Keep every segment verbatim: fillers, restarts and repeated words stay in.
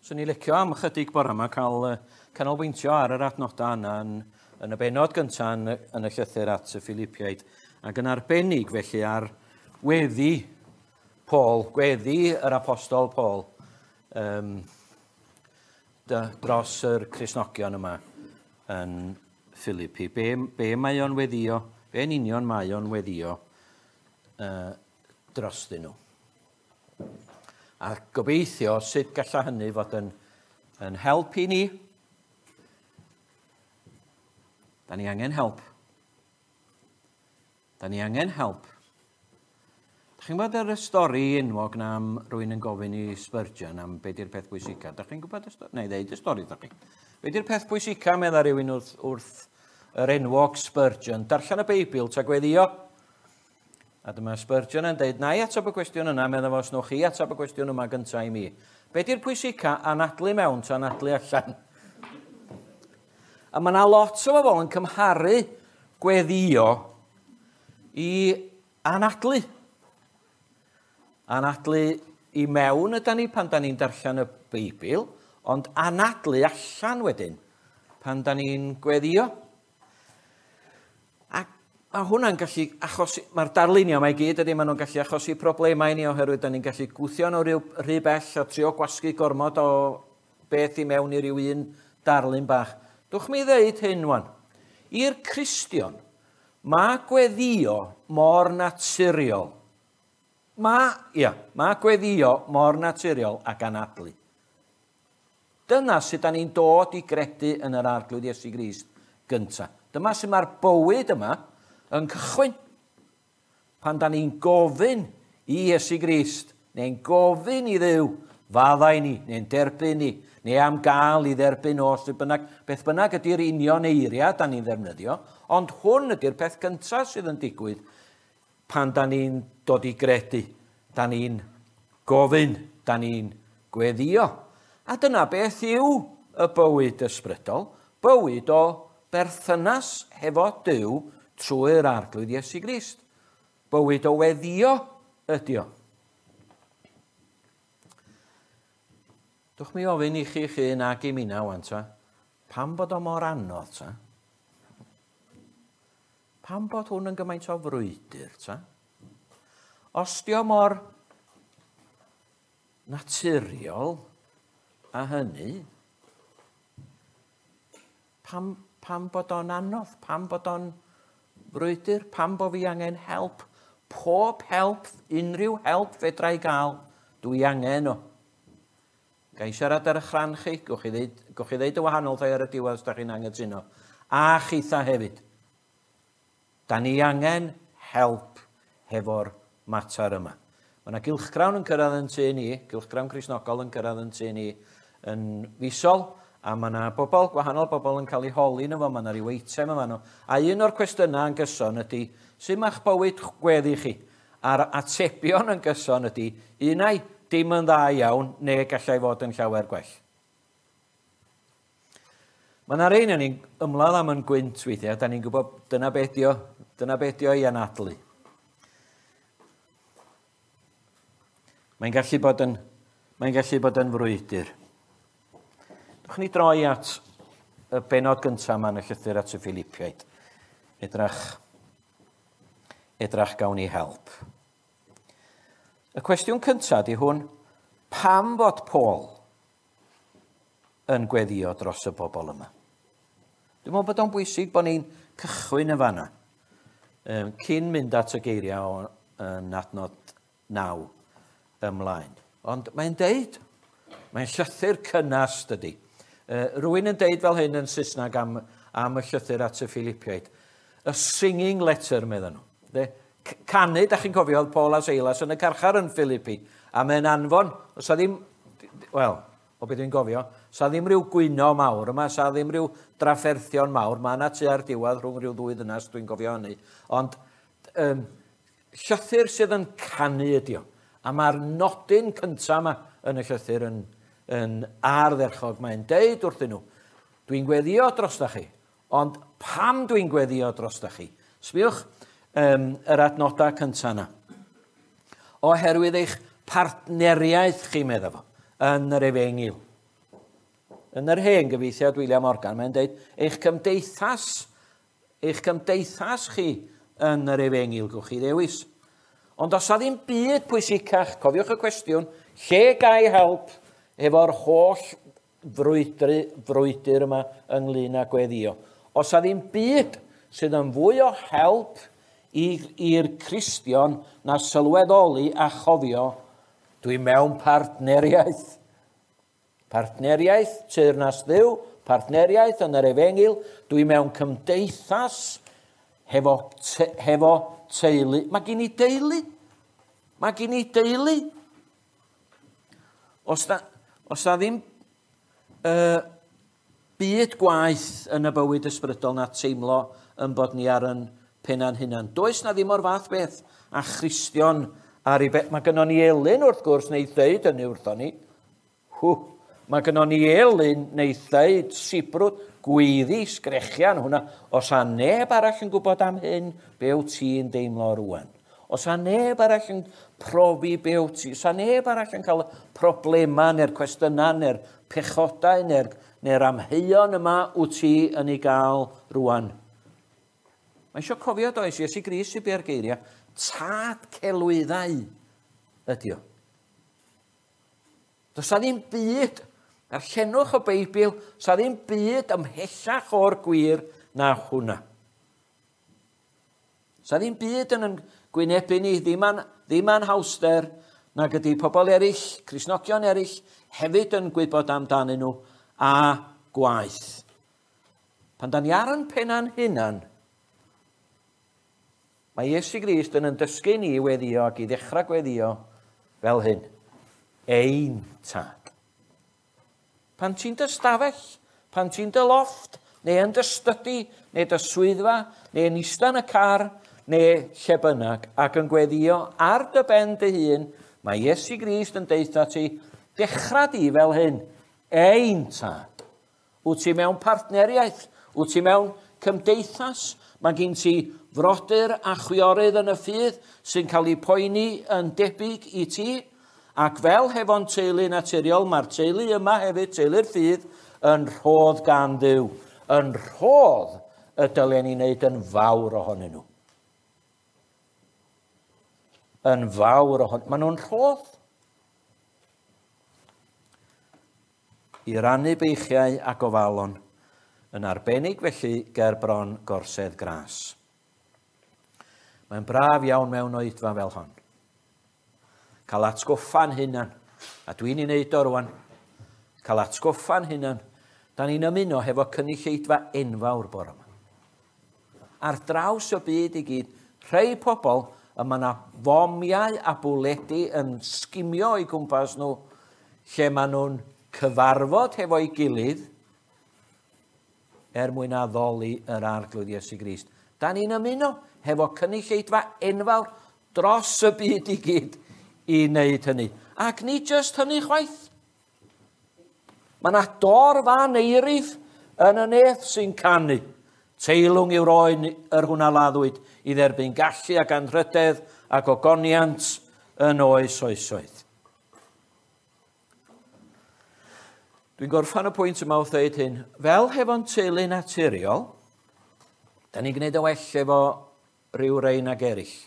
Swn i licio am ychydig bore yma cael canolbwyntio ar yr adnodau yna yn, yn y bennod gyntaf yn, yn y llythyr at y Philipiaid, ac yn arbennig felly ar weddi Paul, gweddi yr apostol Paul um, dros yr Cristnogion yma yn Philippi. Be, be mae o'n weddio, be yn union mae o'n weddio uh, drostyn nhw. A gobeithio sut galla hynny fod yn, yn help i ni. Da ni angen help. Da ni angen help. Da chi'n gwybod yr stori enwog na am rywun yn gofyn i Spurgeon am be di'r peth bwysica? Da chi'n gwybod y stori? Neu ddeud y stori, da chi. Be di'r peth bwysica, medda rhywun wrth, wrth yr enwog Spurgeon? Darllen y Beibl ta gweddio? A dyma Spurgeon yn deud, na i ateb y cwestiwn yna, meddwl fo, os newch chi ateb y cwestiwn yma gyntaf i mi. Be di'r pwysica, anadlu mewn ta anadlu allan? A mae yna lot o bobl yn cymharu gweddio i anadlu. Anadlu i mewn ydan ni pan da ni'n darllen y Beibl, ond anadlu allan wedyn pan da ni'n gweddio. Mae hwnna'n gallu achosi, mae'r darlunio yma i gyd ydy, maen nhw'n gallu achosi problemau i ni oherwydd da ni'n gallu gwthio nhw rhyw, rhy bell a trio gwasgu gormod o beth i mewn i ryw un darlun bach. Dwch mi ddeud hyn wan. I'r Cristion, mae gweddio mor naturiol. Mae, ia, mae gweddio mor naturiol ac anadlu. Dyna sut da ni'n dod i gredu yn yr Arglwydd Iesu Grist gyntaf. Dyma sut mae'r bywyd yma yn cychwyn. Pan da ni'n gofyn i Iesu Grist, neu'n gofyn i Dduw, faddau ni, neu'n derbyn ni, neu am gael i dderbyn o, sut bynnag, beth bynnag ydy'r union eiriau da ni'n ddefnyddio, ond hwn ydy'r peth gyntaf sydd yn digwydd pan da ni'n dod i gredu, da ni'n gofyn, da ni'n gweddio. A dyna beth yw y bywyd ysbrydol, bywyd o berthynas hefo Duw trwy'r Arglwydd Iesu Grist. Bywyd o weddio ydi o. Dwch mi ofyn i chi chi'n ag i minna wan ta, pam bod o mor anodd ta? Pam bod hwn yn gymaint o frwydr ta? Os di o mor naturiol a hynny, pam, pam bod o'n anodd? Pam bod o'n frwydr? Pam bo fi angen help? Pob help, unrhyw help fedra i gael, dwi angen o. Ga i siarad ar eich rhan chi, gwch chi ddeud, gwch chi ddeud y wahanol thai ar y diwedd os da chi'n anghytuno. A chitha hefyd. Da ni angen help hefo'r mater yma. Mae yna gylchgrawn yn cyrraedd yn tŷ ni, gylchgrawn Cristnogol yn cyrraedd yn tŷ ni yn fisol, a mae yna bobl, gwahanol bobl yn cael eu holi yno fo, mae yna ryw eitem yma nhw. A un o'r cwestiynau yn gyson ydy, sut mae'ch bywyd gweddi chi? A'r atebion yn gyson ydy, unai dim yn dda iawn, neu gallai fod yn llawer gwell. Mae yna rhein yn ni'n ymladd am yn gwynt weithiau, da ni'n gwybod dyna beth dio, dyna beth dio i anadlu. Mae'n gallu bod yn, mae'n gallu bod yn frwydr. Dwch ni droi at y bennod gyntaf yma yn y llythyr at y Philipiaid. Edrach, edrach gawn ni help. Y cwestiwn cyntaf di hwn, pam fod Paul yn gweddio dros y bobl yma? Dwi'n meddwl bod o'n bwysig bod ni'n cychwyn yn fanna, um, cyn mynd at y geiriau yn adnod naw ymlaen. Ond mae'n deud, mae'n llythyr cynnas dydy. Uh, rwy'n yn deud fel hyn yn Saesneg am, am y llythyr at y Philipiaid. Y singing letter, meddyn nhw. De? Canu, da chi'n cofio, oedd Paul a Silas yn y carchar yn Philippi, a mae'n anfon, os a ddim, wel, o beth dwi'n gofio, sa ddim rhyw gwyno mawr yma, sa ddim rhyw drafferthion mawr, mae yna tua'r diwedd rhwng rhyw ddwy ddynas, dwi'n gofio hynny, ond um, llythyr sydd yn canu ydi o, a mae'r nodyn cyntaf yma yn y llythyr yn, yn ardderchog, mae'n deud wrthyn nhw, dwi'n gweddio drosta chi, ond pam dwi'n gweddio drosta chi? Sbiwch um, yr adnodau cyntaf yna. Oherwydd eich partneriaeth chi, meddwl fo, yn yr efengyl. Yn yr hen gyfieithiad William Morgan, mae'n dweud, eich cymdeithas, eich cymdeithas chi yn yr efengyl, gwch chi ddewis. Ond os a ddim byd pwysicach, cofiwch y cwestiwn, lle gai help efo'r holl frwydru, frwydr yma ynglyn â gweddio. Os a ddim byd sydd yn fwy o help i'r Cristion na sylweddoli a chofio, dwi mewn partneriaeth. Partneriaeth teyrnas Dduw, partneriaeth yn yr efengyl, dwi mewn cymdeithas hefo, te, hefo teulu. Mae gen i deulu. Mae gen i deulu. Os na, os na ddim uh, byd gwaith yn y bywyd ysbrydol na teimlo yn bod ni ar yn penna'n hunan. Does na ddim o'r fath beth a Christion ar ei beth. Mae gynnon ni elyn wrth gwrs neu ddeud hynny wrthon ni. Hw, mae gynnon ni elyn neu ddeud sibrwd, gweiddi, sgrechian hwnna. Os a neb arall yn gwybod am hyn, be wyt ti'n deimlo rwan? Os a neb arall yn profi be wyt ti, os a neb arall yn cael problemau neu'r cwestiynau neu'r pechodau neu'r neu amheuon yma wyt ti yn ei gael rwan. Mae eisiau cofio does, Iesu Grist sy'n bia'r geiriau, tad celwyddau ydi o. Does a ddim byd, darllenwch y Beibl, does a ddim byd ymhellach o'r gwir na hwnna. Does a ddim byd yn gwynebu ni, ddim, an, ddim anhawster, nag ydy pobl eraill, Cristnogion eraill, hefyd yn gwybod amdanyn nhw a gwaith. Pan da ni ar yn penna'n hunan, mae Iesu Grist yn yn dysgu ni i weddio ac i ddechrau gweddio fel hyn. Ein tad. Pan ti'n dy stafell, pan ti'n dy lofft, neu yn dy stydi, neu dy swyddfa, neu yn ista yn y car, neu lle bynnag, ac yn gweddio ar dy ben dy hun, mae Iesu Grist yn deutha ti, dechrau di fel hyn, ein tad. Wyt ti mewn partneriaeth, wyt ti mewn cymdeithas, mae gen ti frodyr a chwiorydd yn y ffydd sy'n cael eu poeni yn debyg i ti, ac fel hefo'n teulu naturiol, mae'r teulu yma hefyd, teulu'r ffydd, yn rhodd gan Dduw, yn rhodd y dylen ni wneud yn fawr ohonyn nhw. Yn fawr ohonyn nhw. Maen nhw'n rhodd. I rannu beichiau a gofalon, yn arbennig felly ger bron gorsedd gras. Mae'n braf iawn mewn oedfa fel hon. Cael atgoffa'n hunan, a dwi'n ei wneud o rwan, cael atgoffa'n hunan, da ni'n ymuno hefo cynulleidfa enfawr bore yma. Ar draws y byd i gyd, rhai pobl y mae yna fomiau a bwledi yn sgimio o'i gwmpas nhw, lle maen nhw'n cyfarfod hefo'i gilydd er mwyn addoli yr Arglwydd Iesu Grist. Da ni'n ymuno hefo cynulleidfa enfawr dros y byd i gyd i wneud hynny. Ac nid jyst hynny chwaith. Mae yna dorf aneirif yn y neth sy'n canu. Teilwng yw'r oen yr hwnna laddwyd i dderbyn gallu ac anrhydedd ac ogoniant yn oes oesoedd. Dwi'n gorffan y pwynt yma wrth dweud hyn. Fel hefo'n teulu naturiol, da ni'n gwneud y well efo rhyw rei nag eraill.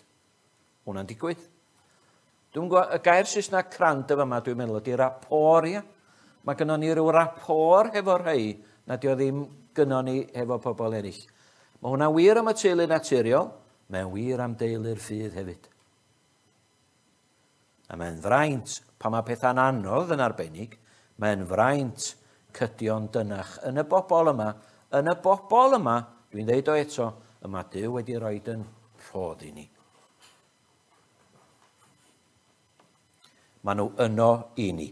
Hwna'n digwydd. Dwi'n gwybod, y gair Saesneg crand efo yma, dwi'n meddwl, ydy rapport, ia. Mae gynnon ni ryw rapport hefo rhai nad yw ddim gynnon ni hefo pobl eraill. Mae hwnna'n wir am y teulu naturiol, mae'n wir am deulu'r ffydd hefyd. A mae'n fraint, pan mae pethau'n anodd yn arbennig, mae'n fraint cydio'n dynach. Yn y bobl yma, yn y bobl yma, dwi'n dweud o eto, yma Duw wedi rhoi yn rhodd i ni. Maen nhw yno i ni.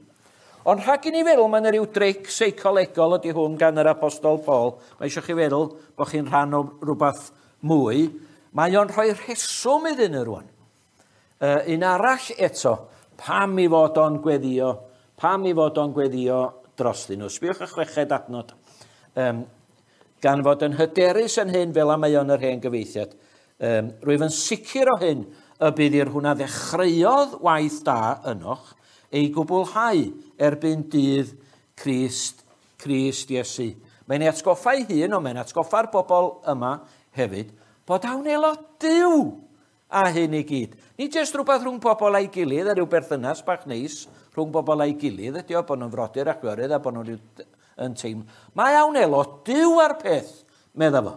Ond rhag i ni feddwl, mae'n rhyw dric seicolegol ydy hwn gan yr Apostol Paul. Mae eisiau chi feddwl bod chi'n rhan o rhywbeth mwy. Mae o'n rhoi rheswm iddyn nhw rwan. Uh, un arall eto, pam i fod o'n gweddio, pam i fod o'n gweddio drostyn nhw. Sbiwch y chweched adnod. Um, gan fod yn hyderus yn hyn fel am mae o'n yr hen gyfeithiad. Um, rwyf yn sicr o hyn y bydd i'r hwnna ddechreuodd waith da ynoch ei gwblhau erbyn dydd Crist Crist Iesu. Mae'n ei atgoffa ei hun, ond mae'n atgoffa'r bobl yma hefyd, bod a wnelo Duw a hyn i gyd. Nid jyst rhywbeth rhwng pobl a'i gilydd, a rhyw berthynas bach neis rhwng bobl a'i gilydd, ydy o, bod nhw'n frodyr a chwiorydd a bod nhw'n yn teimlo. Mae a wnelo Duw ar peth, medda fo.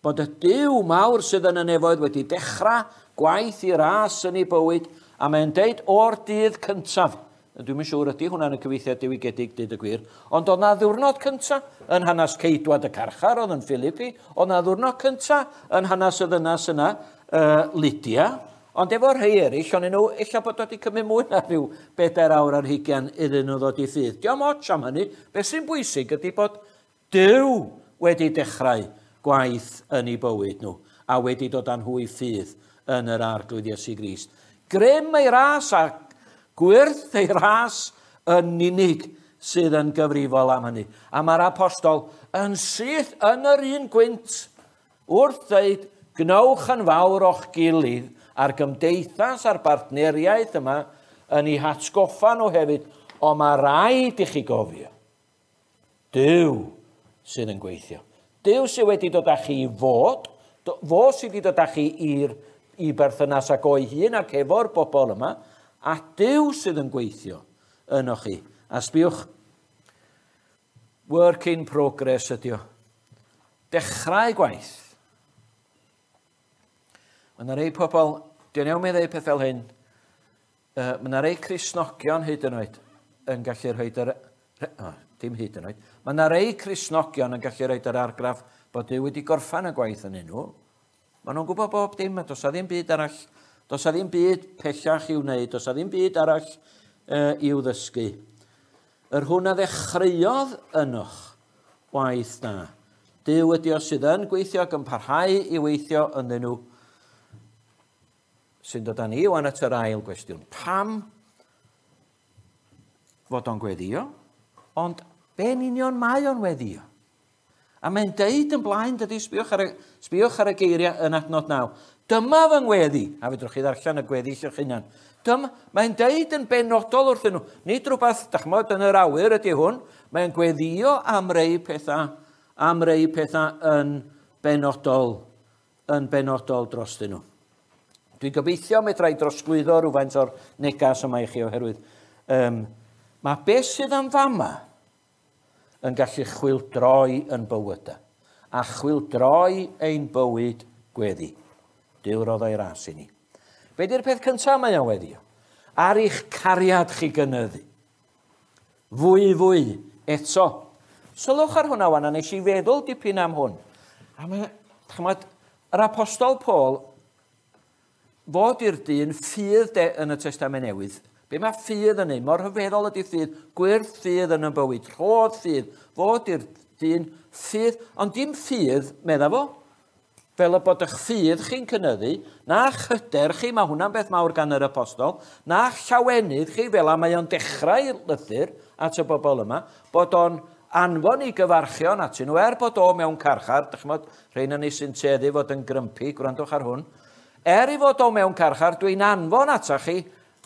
Bod y Duw mawr sydd yn y nefoedd wedi dechrau gwaith i ras yn ei bywyd, a mae'n deud o'r dydd cyntaf. Dwi'm yn siŵr ydy hwnna'n y cyfieithiad diwygiedig, dweud y gwir, ond oedd na ddiwrnod cyntaf yn hanes ceidwad y carchar, oedd yn Philippi, oedd na ddiwrnod cyntaf yn hanes y ddynas yna, uh, Lydia, ond efo rhai eraill, ond nhw, ella bod wedi cymryd mwy na rhyw bedair awr ar hugain iddyn nhw ddod i ffydd. Dio'm ots am hynny, beth sy'n bwysig ydy bod Duw wedi dechrau gwaith yn eu bywyd nhw, a wedi dod â nhw i ffydd yn yr Arglwydd Iesu Grist. Grym ei ras a gwyrth ei ras yn unig sydd yn gyfrifol am hynny. A mae'r apostol yn syth yn yr un gwynt wrth ddeud, gnewch yn fawr o'ch gilydd a'r gymdeithas a'r bartneriaeth yma yn eu hatgoffa nhw hefyd, ond mae rhaid i chi gofio. Duw sydd yn gweithio. Duw sydd wedi dod â chi i fod, fo sydd wedi dod â chi i'r i berthynas ag o'i hun ac efo'r bobl yma, a Duw sydd yn gweithio yno chi. A sbiwch, work in progress ydi o. Dechrau gwaith. Mae yna rei pobl, dwi'n iawn mi ddeud peth fel hyn, uh, mae yna rei Cristnogion hyd yn oed yn gallu rhoi yr... Oh, dim hyd yn oed. Mae yna rei Cristnogion yn gallu rhoi yr argraff bod Duw wedi gorffan y gwaith yn nhw. Maen nhw'n gwybod bob dim, a does a ddim byd arall, does a ddim byd pellach i'w wneud, does a ddim byd arall uh, i'w ddysgu. Yr hwn a ddechreuodd ynoch waith da. Duw ydi o sydd yn gweithio ac yn parhau i weithio ynddyn nhw. Sy'n dod â ni wan at yr ail gwestiwn. Pam fod o'n gweddio? Ond be'n union mae o'n weddio? A mae'n deud yn blaen, dydy, sbiwch ar y, sbiwch ar y geiriau yn adnod naw. Dyma fy ngweddi, a fedrwch chi ddarllen y gweddi eich hunan. Dyma, mae'n deud yn benodol wrthyn nhw. Nid rhywbeth, dach ch'mod, yn yr awyr ydy hwn. Mae'n gweddio am rei pethau, am rei pethau yn benodol, yn benodol drostyn nhw. Dwi'n gobeithio medra i drosglwyddo rhywfaint o'r negas yma i chi oherwydd. Um, mae beth sydd am fama yn gallu chwildroi yn bywydau, a chwildroi ein bywyd gweddi. Duw roddo'i ras i ni. Be di'r peth cyntaf mae o'n weddio? Ar eich cariad chi gynyddu. Fwy fwy eto. Sylwch ar hwnna wan, a nes i feddwl dipyn am hwn. A mae, ch'mod, yr apostol Paul fod i'r dyn ffydd de yn y Testament Newydd. Be mae ffydd yn ei? Mor rhyfeddol ydy ffydd, gwyrth ffydd yn y bywyd, rhodd ffydd, fod i'r dyn ffydd, ond dim ffydd, medda fo, fel y bod eich ffydd chi'n cynyddu, na'ch hyder chi, mae hwnna'n beth mawr gan yr apostol, na'ch llawenydd chi, fel a mae o'n dechrau lythyr at y bobl yma, bod o'n anfon i gyfarchion atyn nhw, er bod o mewn carchar, dych ch'mod, rheina ni sy'n tueddu fod yn grympu, gwrandwch ar hwn, er i fod o mewn carchar, dwi'n anfon atach chi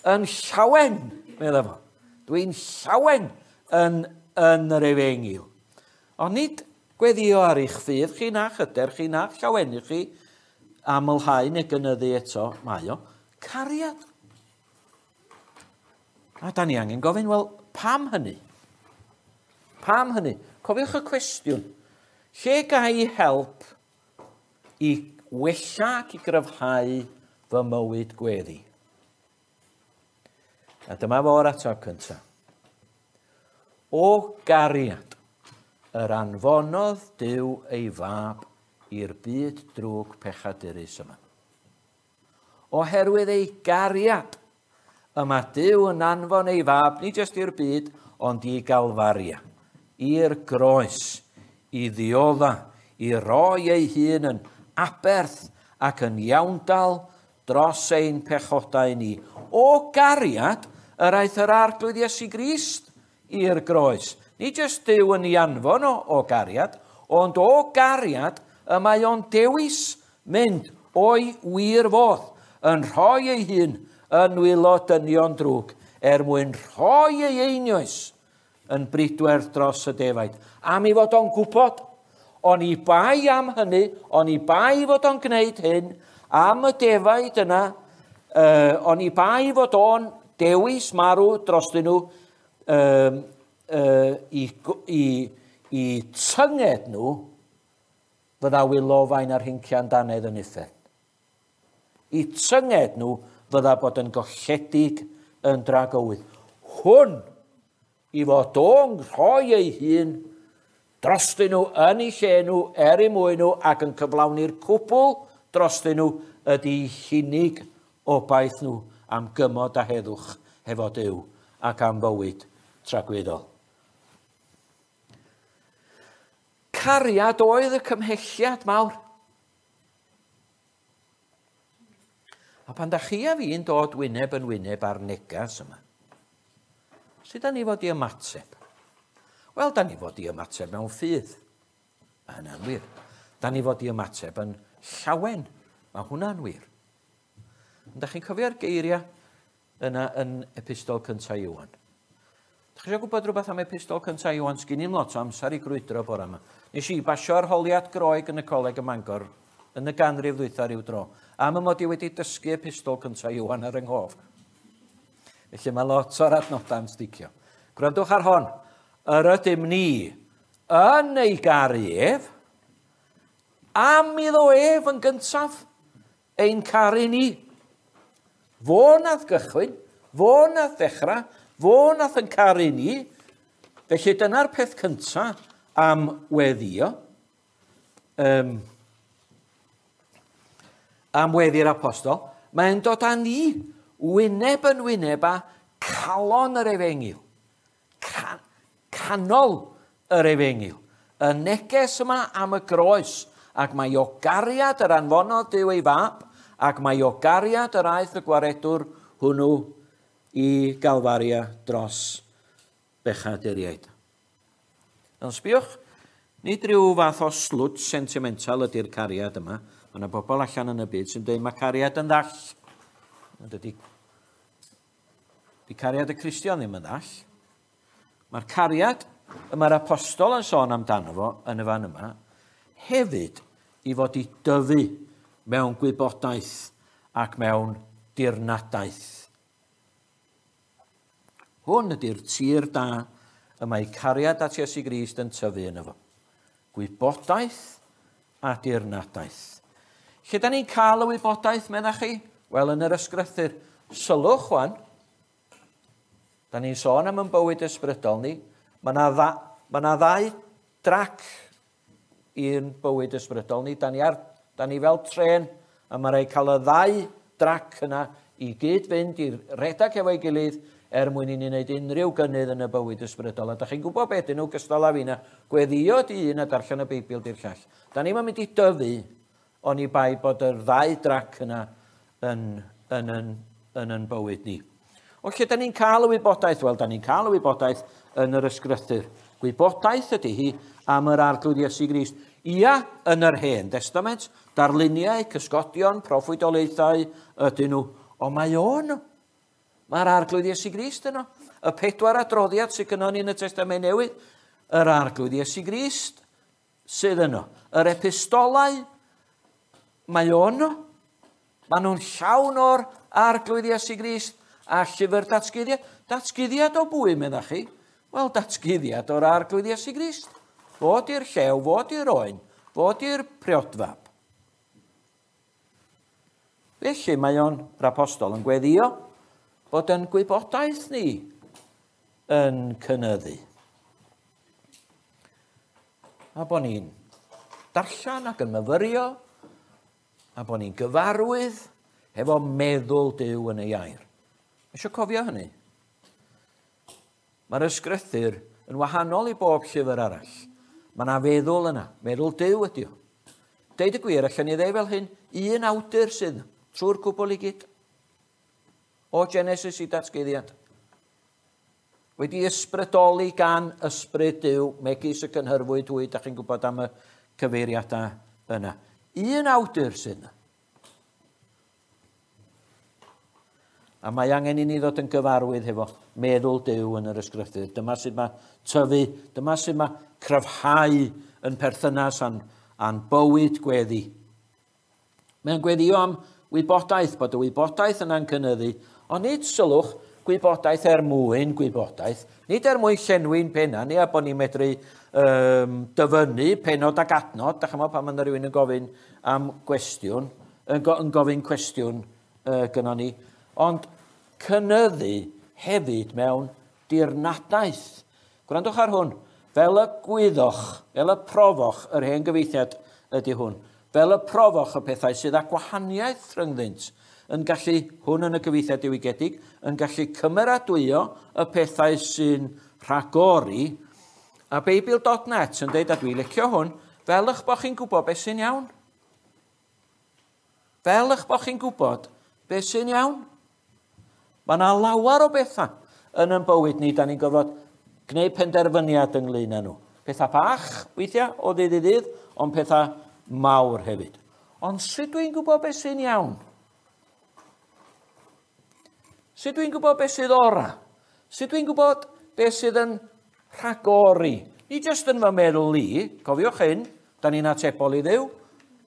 yn llawen, medda fo. Dwi'n llawen yn, yn yr efengyl. Ond nid gweddio ar eich ffydd chi, na'ch hyder chi, na'ch llawenydd chi, amlhau neu gynyddu eto, mae o, cariad. A da ni angen gofyn, wel, pam hynny? Pam hynny? Cofiwch y cwestiwn. Lle ga i help i wella ac i gryfhau fy mywyd gweddi? A dyma fo'r ateb cyntaf. O gariad, yr anfonodd Duw ei fab i'r byd drwg pechadurus yma. Oherwydd ei gariad, yma Duw yn anfon ei fab, nid jyst i'r byd, ond i Galfaria, i'r groes, i ddiodda, i roi ei hun yn aberth ac yn iawndal dros ein pechodau ni. O gariad, yr aeth yr Arglwydd Iesu Grist i'r groes. Nid jyst Duw yn ei anfon o, o gariad, ond o gariad y mae o'n dewis mynd o'i wir fodd, yn rhoi ei hun yn nwylo dynion drwg, er mwyn rhoi ei einioes yn bridwerth dros y defaid. Am ei fod o'n gwybod, oni bai am hynny, oni bai fod o'n gwneud hyn, am y defaid yna, uh, oni bai fod o'n dewis marw drostyn nhw um, uh, i, i, i tynged nhw, fydda wylofain ar hincian dannedd yn uffern. I tynged nhw fydda bod yn golledig yn dragywydd. Hwn i fod o'n rhoi ei hun drostyn nhw yn eu lle nhw, er eu mwyn nhw, ac yn cyflawni'r cwbl drostyn nhw ydy hunig obaith nhw am gymod a heddwch hefo Duw ac am fywyd tragwyddol. Cariad oedd y cymhelliad mawr. A pan da chi a fi'n dod wyneb yn wyneb ar negas yma, sut da ni fod i ymateb? Wel, da ni fod i ymateb mewn ffydd. Mae hynna'n wir. Da ni fod i ymateb yn llawen. Mae hwnna'n wir. Ond da chi'n cofio'r geiriau yna yn epistol cyntaf Ioan? Da chi eisiau gwybod rhywbeth am epistol cyntaf Ioan? Sgyn i'm lot o amser i grwydro bore yma. Nes i basio arholiad Groeg yn y coleg ym Mangor yn y ganrif ddwytha ryw dro. Am y mod i wedi dysgu epistol cyntaf Ioan ar yng nghof. Felly mae lot o'r adnodau yn sticio. Gwrandwch ar hon. Yr ydym ni yn ei garu ef, am iddo ef yn gyntaf ein caru ni. Fo nath gychwyn, fo nath ddechrau, fo nath yn caru ni. Felly dyna'r peth cyntaf am weddio. Um, am weddi'r apostol. Mae'n dod â ni wyneb yn wyneb â calon yr efengyl. Can, canol yr efengyl. Y neges yma am y groes, ac mae o gariad yr anfonodd Duw ei fab, ac mae o gariad yr aeth y gwaredwr hwnnw i Galfaria dros bechaduriaid. Ond sbiwch, nid rhyw fath o slwt sentimental ydy'r cariad yma. Mae yna bobl allan yn y byd sy'n dweud mae cariad yn ddall. Ond dydy, di cariad y Cristion ddim yn ddall. Mae'r cariad y mae'r apostol yn sôn amdano fo yn y fan yma, hefyd i fod i dyfu mewn gwybodaeth ac mewn dirnadaeth. Hwn ydy'r tir da y mae cariad at Iesu Grist yn tyfu yno fo. Gwybodaeth a dirnadaeth. Lle da ni'n cael y wybodaeth, meddach chi? Wel, yn yr ysgrythur. Sylwch, wan. Da ni'n sôn am yn bywyd ysbrydol ni. Mae yna dda, ma na ddau drac i'n bywyd ysbrydol ni. Da ni, ar, da ni fel tren, a mae rhaid cael y ddau drac yna i gyd fynd i redag efo'i gilydd er mwyn i ni wneud unrhyw gynnydd yn y bywyd ysbrydol. A da chi'n gwybod beth ydyn nhw gystal â fi na, gweddio di un a darllen y Beibl di'r llall. Da ni'n mynd i dyfu oni bai bod yr ddau drac yna yn, yn, yn, yn, yn bywyd ni. O lle da ni'n cael y wybodaeth? Wel, da ni'n cael y wybodaeth yn yr ysgrythur. Gwybodaeth ydy hi am yr Arglwydd Iesu Grist. Ia, yn yr Hen Testament, darluniau, cysgodion, proffwydoliaethau ydyn nhw. Ond mae o'n. Mae'r Arglwydd Iesu Grist yno. Y pedwar adroddiad sydd gynnon ni yn y Testament Newydd, yr Arglwydd Iesu Grist sydd yno. Yr epistolau, mae o'n. Maen nhw'n llawn o'r Arglwydd Iesu Grist a llyfr datguddiad. Datguddiad o bwy, meddach chi? Wel, datguddiad o'r Arglwydd Iesu Grist. Fod i'r llew, fod i'r oen, fod i'r priodfab. Felly mae o'n, yr apostol, yn gweddio bod yn gwybodaeth ni yn cynyddu. A bod ni'n darllen ac yn myfyrio, a bod ni'n gyfarwydd hefo meddwl Duw yn ei air. Eisiau cofio hynny? Mae'r ysgrythur yn wahanol i bob llyfr arall. Mae yna feddwl yna. Meddwl Duw ydy o. Deud y gwir, allan ni ddeud fel hyn, un awdur sydd trwy'r cwbl i gyd. O Genesis i datguddiad. Wedi ysbrydoli gan ysbryd Duw, megis y cynhyrfwyd hwy, da chi'n gwybod am y cyfeiriadau yna. Un awdur sydd yna. A mae angen i ni ddod yn gyfarwydd hefo meddwl Duw yn yr ysgrythur. Dyma sut mae tyfu, dyma sut mae cryfhau yn perthynas a'n, a'n bywyd gweddi. Mae'n gweddio am wybodaeth, bod y wybodaeth yna'n cynyddu, ond nid sylwch gwybodaeth er mwyn gwybodaeth, nid er mwyn llenwi'n penna, ni a bod ni'n medru um, dyfynnu penod ac adnod, da chymod pan mae rhywun yn gofyn am gwestiwn, yn, go, yn gofyn cwestiwn uh, gynnon ni, ond cynyddu hefyd mewn dirnadaeth. Gwrandwch ar hwn, fel y gwyddoch, fel y profoch, yr hen gyfieithiad ydy hwn, fel y profoch y pethau sydd â gwahaniaeth rhyngddynt, yn gallu, hwn yn y gyfieithiad diwygiedig, yn gallu cymeradwyo y pethau sy'n rhagori, a Beibl dot net yn dweud, a dwi'n licio hwn, fel eich bod chi'n gwybod beth sy'n iawn. Fel eich bod chi'n gwybod beth sy'n iawn. Mae yna lawer o bethau yn ein bywyd ni, da ni'n gorfod gwneud penderfyniad ynglyn â nhw. Pethau bach, weithiau, o ddydd i ddydd, ond pethau mawr hefyd. Ond sut dwi'n gwybod beth sy'n iawn? Sut dwi'n gwybod beth sydd ora? Sut dwi'n gwybod beth sydd yn rhagori? Ni jyst yn fy meddwl i, cofiwch hyn, da ni'n atebol i Dduw.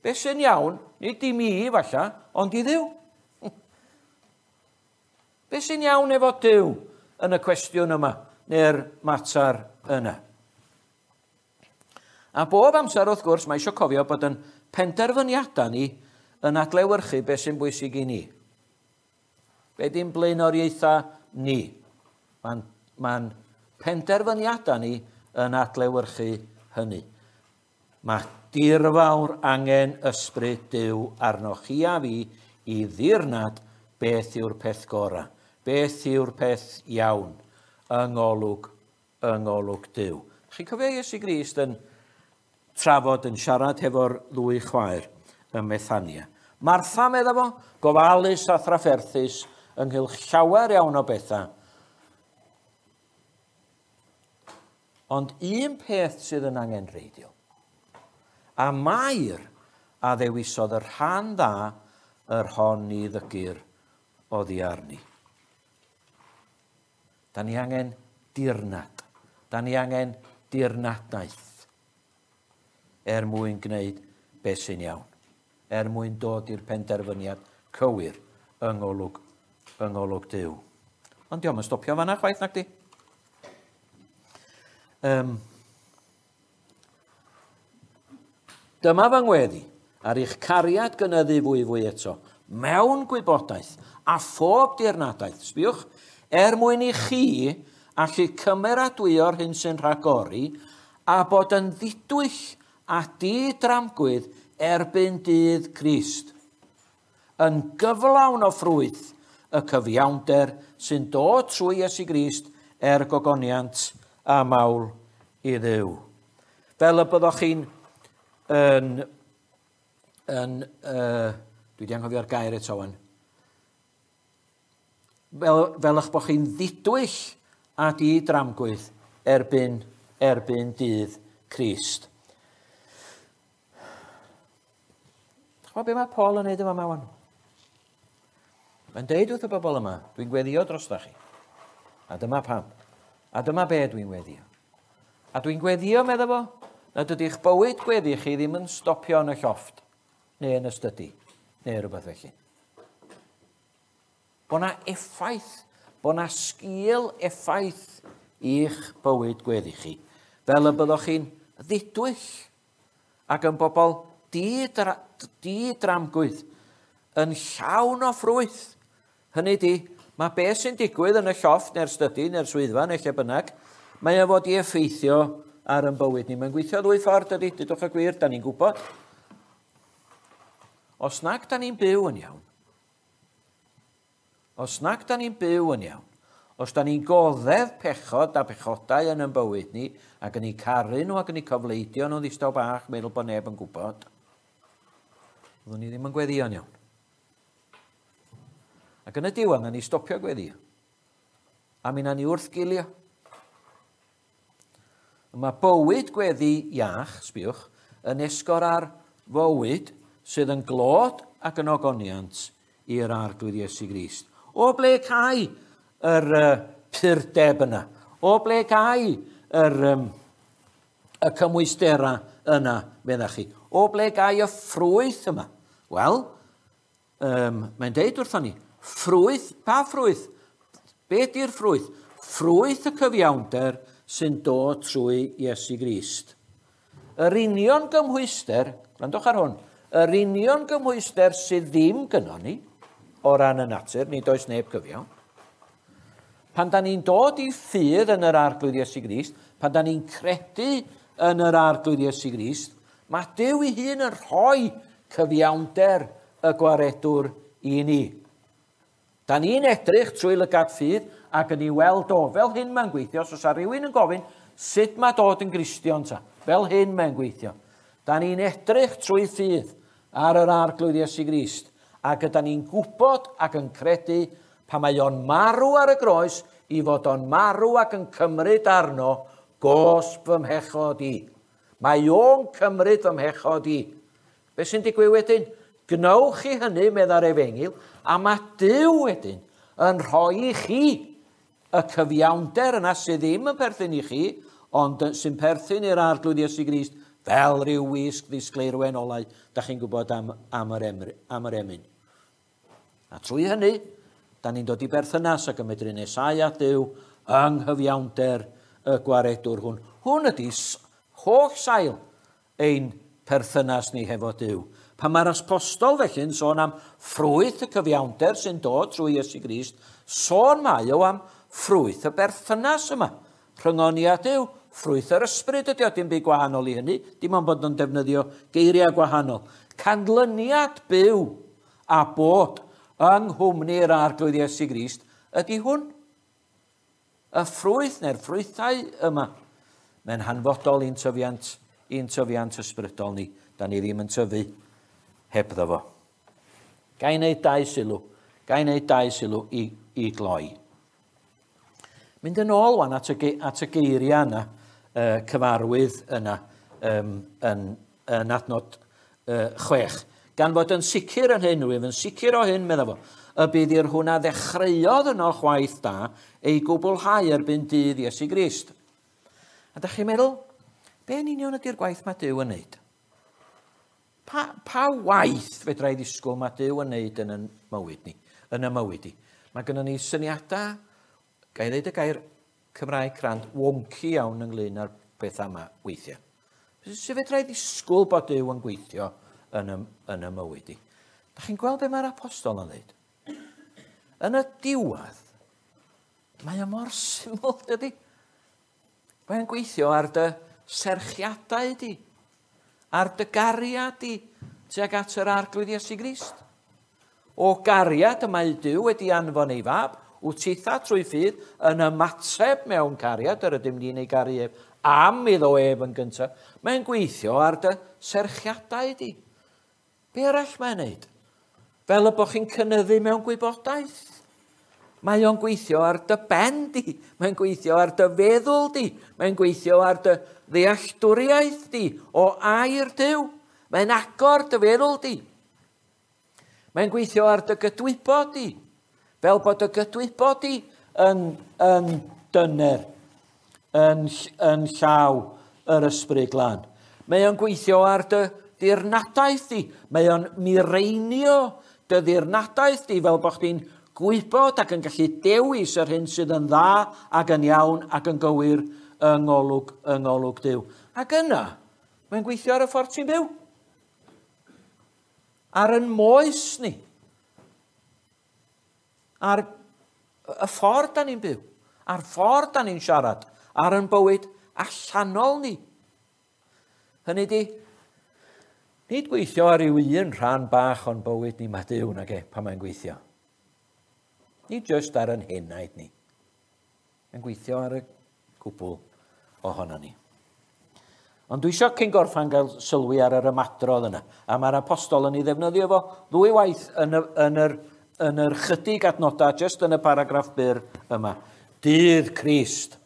Beth sy'n iawn, nid i mi falle, ond i Dduw. Beth sy'n iawn efo Duw yn y cwestiwn yma, neu'r mater yna? A bob amser, wrth gwrs, mae eisiau cofio bod yn penderfyniadau ni yn adlewyrchu beth sy'n bwysig i ni. Be di'n blaenoriaethau ni? Mae'n mae'n penderfyniadau ni yn adlewyrchu hynny. Mae dirfawr angen ysbryd Duw arnoch chi a fi i ddirnad beth yw'r peth gorau, beth yw'r peth iawn yng ngolwg, yng ngolwg Duw. Chi'n cofio Iesu Grist yn trafod, yn siarad hefo'r ddwy chwaer ym Methania. Martha, medda fo, gofalus a thrafferthus ynghylch llawer iawn o bethau. Ond un peth sydd yn angenrheidiol, a Mair a ddewisodd y rhan dda yr hon ni ddygir oddi arni. Da ni angen dirnad. Da ni angen dirnadaeth er mwyn gwneud beth sy'n iawn, er mwyn dod i'r penderfyniad cywir yng ngolwg, yng ngolwg Duw. Ond dio'm yn stopio fan'na chwaith, nag di? Um, dyma fy ngweddi ar eich cariad gynyddu fwy fwy eto, mewn gwybodaeth a phob dirnadaeth, sbiwch, er mwyn i chi allu cymeradwyo'r hyn sy'n rhagori a bod yn ddidwyll a didramgwydd erbyn dydd Crist, yn gyflawn o ffrwyth y cyfiawnder sy'n dod trwy Iesu Grist er gogoniant a mawl i Dduw. Fel y byddwch chi'n yn, yn, uh, dwi wedi anghofio'r gair eto wan, fel, fel eich bod chi'n ddidwyll a didramgwydd erbyn, erbyn dydd Crist. Chwa be mae Paul yn neud yma wan? Mae'n deud wrth y bobl yma, dwi'n gweddio drosta chi. A dyma pam. A dyma be dwi'n gweddio. A dwi'n gweddio, medda fo, nad ydy'ch bywyd gweddi chi ddim yn stopio yn y llofft, neu yn y stydi, neu rhywbeth felly. Bo' na effaith, bo' na sgil effaith i'ch bywyd gweddi chi, fel y byddwch chi'n ddidwyll ac yn bobl didramgwydd, yn llawn o ffrwyth. Hynny di, mae beth sy'n digwydd yn y llofft neu'r stydi neu'r swyddfa neu lle bynnag, mae o fod i effeithio ar ein bywyd ni. Mae'n gweithio ddwy ffordd, dydy, dydwch y gwir, da ni'n gwybod. Os nag da ni'n byw yn iawn, os nag da ni'n byw yn iawn, os da ni'n goddef pechod a pechodau yn ein bywyd ni, ac yn eu caru nhw ac yn eu cofleidio nhw ddistaw bach, meddwl bod neb yn gwybod, fyddwn ni ddim yn gweddïo'n iawn. Ac yn y diwedd, na ni stopio gweddio. A mi na ni wrthgilio. Mae bywyd gweddi iach, sbiwch, yn esgor ar fywyd sydd yn glod ac yn ogoniant i'r Arglwydd Iesu Grist. O ble cai yr uh, purdeb yna? O ble cai yr, um, y cymwystera yna, meddach chi? O ble gai y ffrwyth yma? Wel, um, mae'n deud wrthon ni, ffrwyth, pa ffrwyth? Be di'r ffrwyth? Ffrwyth y cyfiawnder sy'n dod trwy Iesu Grist. Yr union gymhwyster, gwrandwch ar hwn, yr union gymhwyster sydd ddim gynnon ni, o ran y natur, nid oes neb cyfiawn. Pan da ni'n dod i ffydd yn yr Arglwydd Iesu Grist, pan da ni'n credu yn yr Arglwydd Iesu Grist, mae Duw ei hun yn rhoi cyfiawnder y gwaredwr i ni. Da ni'n edrych trwy lygad ffydd ac yn ei weld o, fel hyn mae'n gweithio. Os oes rhywun yn gofyn, sut mae dod yn Gristion ta? Fel hyn mae'n gweithio. Da ni'n edrych trwy ffydd ar yr Arglwydd Iesu Grist ac yda ni'n gwybod ac yn credu pan mae o'n marw ar y groes i fod o'n marw ac yn cymryd arno gosb fy mhechod i. Mae o'n cymryd fy mhechod i. Be sy'n digwydd wedyn? Gwnewch chi hynny, medda'r efengyl, a mae Duw wedyn yn rhoi i chi y cyfiawnder yna sydd ddim yn perthyn i chi, ond sy'n perthyn i'r Arglwydd Iesu Grist, fel rhyw wisg ddisgleirwen olau, da chi'n gwybod am, am, yr emr, am yr emyn. A trwy hynny, da ni'n dod i berthynas ac yn medru nesáu at Duw yng nghyfiawnder y gwaredwr hwn. Hwn ydy holl sail ein perthynas ni hefo Duw. Pan mae'r apostol felly'n sôn am ffrwyth y cyfiawnder sy'n dod trwy Iesu Grist, sôn mae o am ffrwyth y berthynas yma. Rhyngon ni a Duw, ffrwyth yr ysbryd ydy o, dim byd gwahanol i hynny, dim ond bod yn defnyddio geiriau gwahanol. Canlyniad byw a bod yng nghwmni'r Arglwydd Iesu Grist ydy hwn. Y ffrwyth neu'r ffrwythau yma, mae'n hanfodol i'n tyfiant, i'n tyfiant ysbrydol ni. Da ni ddim yn tyfu hebddo fo. Ga i wneud dau sylw. Ga i wneud dau sylw i, i gloi. Mynd yn ôl wan at y, at y geiriau yna, uh, cyfarwydd yna, um, yn, yn adnod uh, chwech. Gan fod yn sicr yn hyn, rwyf yn sicr o hyn, medda fo, y bydd i'r hwn a ddechreuodd yno chwaith da ei gwblhau erbyn dydd Iesu Grist. A da chi'n meddwl, be yn union ydy'r gwaith mae Duw yn neud? Pa, pa waith fedra i ddisgwyl mae Duw yn neud yn y mywyd ni, yn y mywyd i? Mae gynnon ni syniadau, ga i ddeud y gair Cymraeg crand, wonky iawn ynglyn â'r pethau yma weithiau. Sut fedra i ddisgwyl bod Duw yn gweithio yn y, yn y mywyd i? Da chi'n gweld be mae'r apostol yn dweud? Yn y diwedd, mae o mor syml, dydy. Mae'n gweithio ar dy serchiadau di, ar dy gariad di, tuag at yr Arglwydd Iesu Grist. O gariad y mae Duw wedi anfon ei fab, wyt titha trwy ffydd yn ymateb mewn cariad, yr ydym ni'n ei garu ef, am iddo ef yn gyntaf. Mae'n gweithio ar dy serchiadau di. Be arall mae'n neud? Fel y bod chi'n cynyddu mewn gwybodaeth. Mae o'n gweithio ar dy ben di. Mae'n gweithio ar dy feddwl di. Mae'n gweithio ar dy ddealltwriaeth di o air Duw. Mae'n agor dy feddwl di. Mae'n gweithio ar dy gydwybod di. Fel bod dy gydwybod di yn, yn dyner, yn, yn llaw yr Ysbryd Glân. Mae o'n gweithio ar dy ddirnadaeth di. Mae o'n mireinio dy ddirnadaeth di fel bod chdi'n gwybod ac yn gallu dewis yr hyn sydd yn dda ac yn iawn ac yn gywir yng ngolwg, yng ngolwg Duw. Ac yna, mae'n gweithio ar y ffordd ti'n byw. Ar yn moes ni. Ar y ffordd da ni'n byw. Ar ffordd da ni'n siarad. Ar yn bywyd allanol ni. Hynny di, nid gweithio ar ryw un rhan bach o'n bywyd ni mae Duw nag e, pan mae'n gweithio. Nid jyst ar yn henaid ni. Mae'n gweithio ar y cwbl ohono ni. Ond dwi eisiau cyn gorffan gael sylwi ar yr ymadrodd yna. A mae'r apostol yn ei ddefnyddio fo ddwy waith yn, y, yn, yr, yn yr chydig adnodau, jyst yn y paragraff byr yma. Dydd Crist.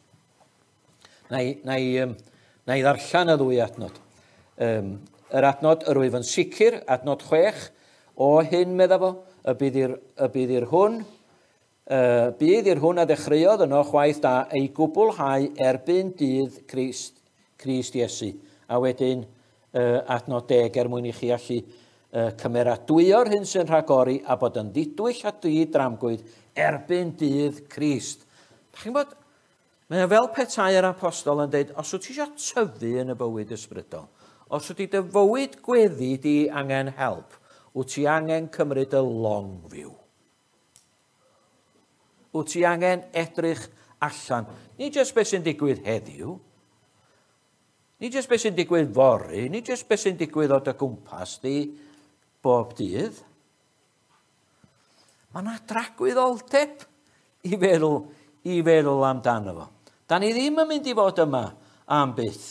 Na i, na i, um, na i ddarllen y ddwy adnod. Um, yr adnod yr wyf yn sicr, adnod chwech, o hyn medda fo, y bydd i'r, y bydd i'r hwn Uh, bydd i'r hwn a ddechreuodd yno chwaith da ei gwblhau erbyn dydd Crist, Crist Iesu. A wedyn uh, adnod deg er mwyn i chi allu uh, cymeradwyo'r hyn sy'n rhagori a bod yn ddidwyll a didramgwydd erbyn dydd Crist. Da chi'n bod, mae o fel petai'r apostol yn dweud, os wyt ti eisiau tyfu yn y bywyd ysbrydol, os wyt ti dy fywyd gweddi di angen help, wyt ti angen cymryd y long view. Wyt ti angen edrych allan. Nid jyst beth sy'n digwydd heddiw, nid jyst beth sy'n digwydd fory, nid jyst beth sy'n digwydd o dy gwmpas di bob dydd. Mae yna dragwyddoldeb i feddwl, i feddwl amdano fo. Da ni ddim yn mynd i fod yma am byth.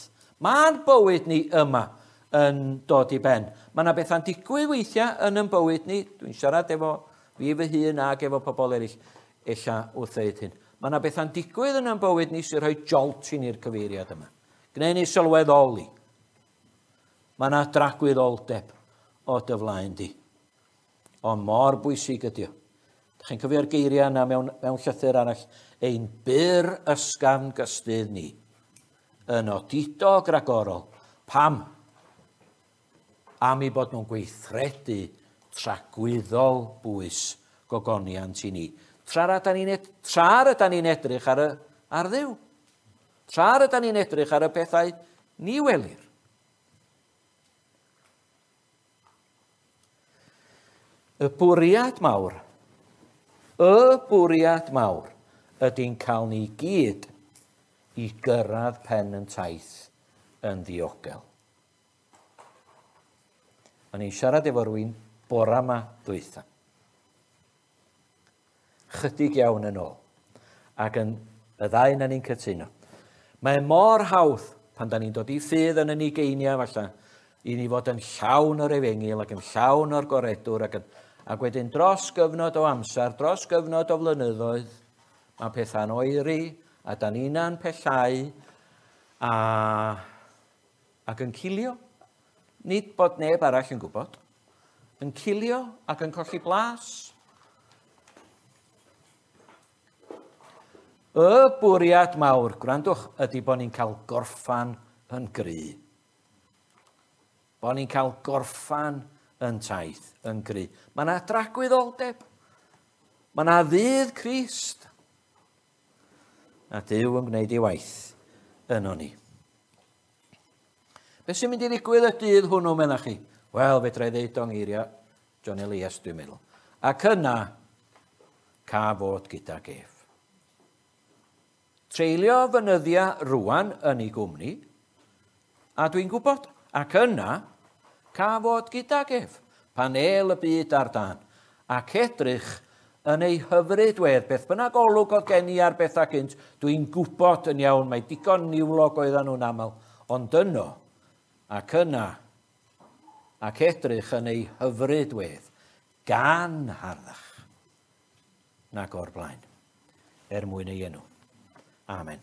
Mae'n bywyd ni yma yn dod i ben. Mae yna bethau'n digwydd weithiau yn yn bywyd ni. Dwi'n siarad efo fi fy hun ac efo pobl eraill ella wrth ddeud hyn. Mae yna bethau'n digwydd yn yn bywyd ni sy'n rhoi jolt i ni'r cyfeiriad yma. Gwneud ni sylweddoli. Mae yna dragwyddoldeb o dy flaen di. Ond mor bwysig ydi o. Dach chi'n cofio'r geiriau yna mewn, mewn llythyr arall? Ein byr ysgafn gystudd ni yn odidog ragorol. Pam? Am i bod nhw'n gweithredu tragwyddol bwys gogoniant i ni. Tra rydan ni'n ed- tra rydan ni'n edrych ar, y, ar Dduw. Tra rydan ni'n edrych ar y pethau ni welir. Y bwriad mawr, y bwriad mawr ydy'n cael ni gyd i gyrraedd pen yn taith yn ddiogel. O'n i'n siarad efo rhywun bora yma dwytha. Chydig iawn yn ôl. Ac yn y ddau na ni'n cytuno. Mae mor hawdd pan da ni'n dod i ffydd yn y ugeiniau falle, i ni fod yn llawn o'r efengyl ac yn llawn o'r goredwr ac, yn, ac wedyn dros gyfnod o amser, dros gyfnod o flynyddoedd, mae pethau'n oeri a da ni'n pellau a, ac yn cilio. Nid bod neb arall yn gwybod. Yn cilio ac yn colli blas. Y bwriad mawr, gwrandwch, ydy bod ni'n cael gorffan yn gry. Bod ni'n cael gorffan yn taith, yn gry. Mae yna dragwyddoldeb. Mae yna ddydd Crist. A Duw yn gwneud ei waith yno ni. Be sy'n mynd i ddigwydd y dydd hwnnw, meddach chi? Wel, fedra i ddeud o'n eiriau John Elias, dwi'n meddwl. Ac yna, ca fod gydag ef. Treulio fynyddiau rwan yn ei gwmni, a dwi'n gwybod, ac yna, ca fod gydag ef, pan el y byd ar dan, ac edrych yn ei hyfryd wedd, beth bynnag olwg oedd gen i ar bethau gynt, dwi'n gwybod yn iawn, mae digon niwlog oedden nhw'n aml, ond yno, ac yna, ac edrych yn ei hyfryd wedd, gan harddach, nag o'r blaen, er mwyn ei enw. Amen.